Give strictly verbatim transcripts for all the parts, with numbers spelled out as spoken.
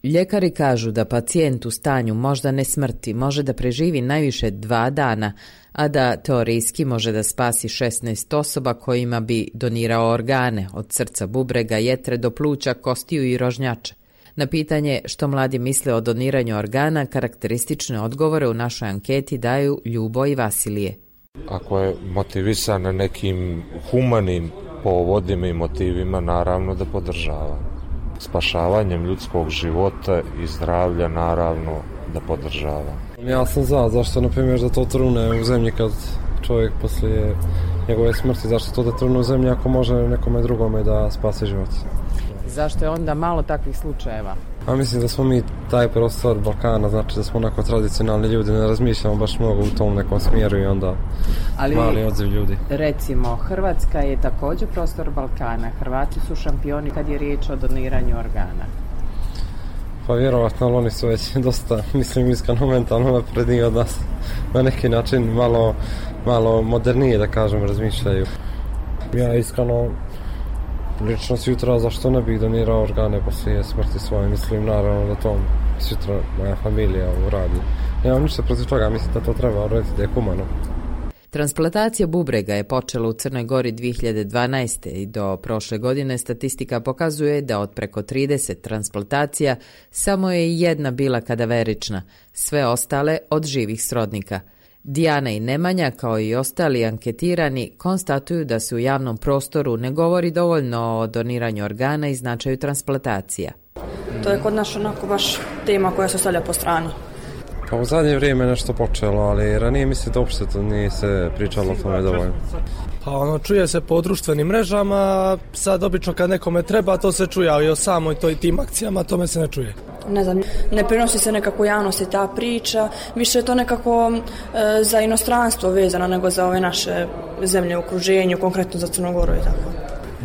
Ljekari kažu da pacijent u stanju moždane smrti može da preživi najviše dva dana, a da teorijski može da spasi šesnaest osoba kojima bi donirao organe, od srca, bubrega, jetre do pluća, kostiju i rožnjače. Na pitanje što mladi misle o doniranju organa, karakteristične odgovore u našoj anketi daju Ljubo i Vasilije. Ako je motivisan na nekim humanim povodima i motivima, naravno da podržava. Spašavanjem ljudskog života i zdravlja, naravno da podržava. Ja sam za, zašto na primjer da to trune u zemlji kad čovjek poslije njegove smrti, zašto to da trune u zemlji ako može nekome drugome da spase život. Zašto je onda malo takvih slučajeva? A mislim da smo mi taj prostor Balkana, znači da smo onako tradicionalni ljudi, ne razmišljamo baš mnogo u tom nekom smjeru i onda ali, mali odziv ljudi. Recimo, Hrvatska je također prostor Balkana. Hrvati su šampioni kad je riječ o doniranju organa. Pa vjerovatno, ali oni su već dosta, mislim, iskreno mentalno napredniji od nas. Na neki način malo, malo modernije, da kažem, razmišljaju. Ja iskreno, lično sutra, zašto ne bih donirao organe poslije smrti svoje, mislim naravno da to sutra moja familija uradi. Nemam ništa protiv toga, mislim da to treba uraditi, da je humano. Transplantacija bubrega je počela u Crnoj Gori dvije hiljade dvanaeste. i do prošle godine statistika pokazuje da od preko trideset transplantacija samo je jedna bila kadaverična, sve ostale od živih srodnika. Dijana i Nemanja, kao i ostali anketirani, konstatuju da se u javnom prostoru ne govori dovoljno o doniranju organa i značaju transplantacija. To je kod nas onako baš tema koja se stavlja po strani. Pa u zadnje vrijeme nešto počelo, ali ranije mislim da uopšte to nije se pričalo o tome dovoljno. Pa ono, čuje se po društvenim mrežama, sad obično kad nekome treba to se čuje, ali o samoj toj tim akcijama tome se ne čuje. Ne znam, ne prenosi se nekako u javnosti ta priča, više je to nekako e, za inostranstvo vezano nego za ove naše zemlje u okruženju, konkretno za Crnu Goru i tako.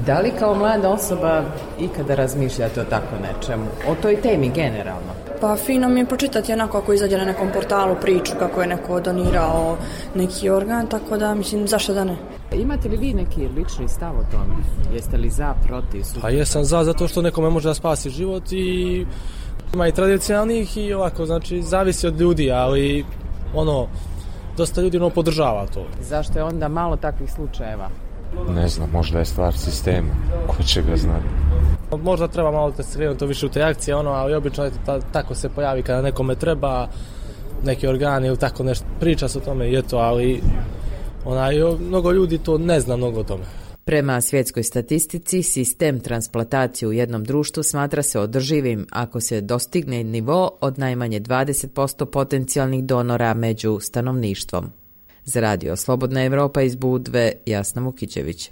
Da li kao mlada osoba ikada razmišljate o tako nečemu, o toj temi generalno? Pa fino mi je pročitati onako ako izađe na nekom portalu priču kako je neko donirao neki organ, tako da mislim zašto da ne. Imate li vi neki lični stav o tome? Jeste li za, protiv? Su... Pa jesam za, zato što nekome može da spasi život i ima i tradicionalnih i ovako, znači zavisi od ljudi, ali ono, dosta ljudi ono podržava to. Zašto je onda malo takvih slučajeva? Ne znam, možda je stvar sistema, ko će ga znati. Možda treba malo da se to više u te akcije, ono, ali obično je ta, tako se pojavi kada nekome treba neki organi ili tako nešto, priča se o tome i eto, ali onaj, mnogo ljudi to ne zna mnogo o tome. Prema svjetskoj statistici, sistem transplantacije u jednom društvu smatra se održivim ako se dostigne nivo od najmanje dvadeset posto potencijalnih donora među stanovništvom. Za radio Slobodna Evropa iz Budve, Jasna Vukićević.